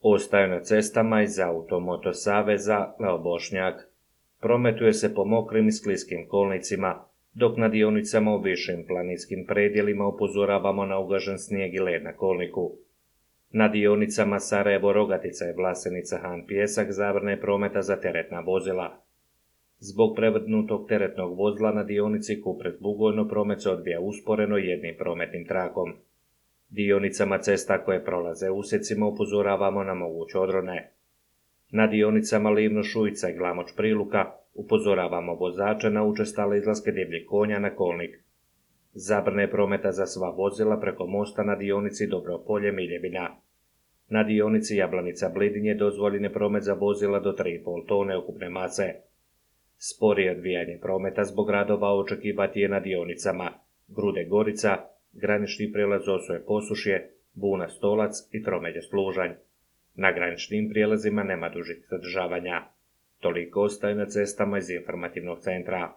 Ostaju na cestama iz Automoto saveza Leo Bošnjak. Prometuje se po mokrim i skliskim kolnicima, dok na dionicama u višim planinskim predjelima upozoravamo na ugažen snijeg i led na kolniku. Na dionicama Sarajevo-Rogatica i Vlasenica-Han Pijesak zabrana je prometa za teretna vozila. Zbog prevrnutog teretnog vozila na dionici Kupret-Bugojno promet se odvija usporeno jednim prometnim trakom. Dionicama cesta koje prolaze usjecima upozoravamo na moguće odrone. Na dionicama Livno-Šujica i Glamoč-Priluka upozoravamo vozače na učestale izlaske divljih konja na kolnik. Zabrana je prometa za sva vozila preko mosta na dionici Dobropolje-Miljevina. Na dionici Jablanica-Blidinje dozvoljen je promet za vozila do 3,5 tone ukupne mase. Sporije odvijanje prometa zbog radova očekivati je na dionicama Grude-Gorica, granični prijelaz Osoje-Posušje, Buna-Stolac i Tromelje-Služanj. Na graničnim prijelazima nema dužih zadržavanja. Toliko ostaje na cestama iz informativnog centra.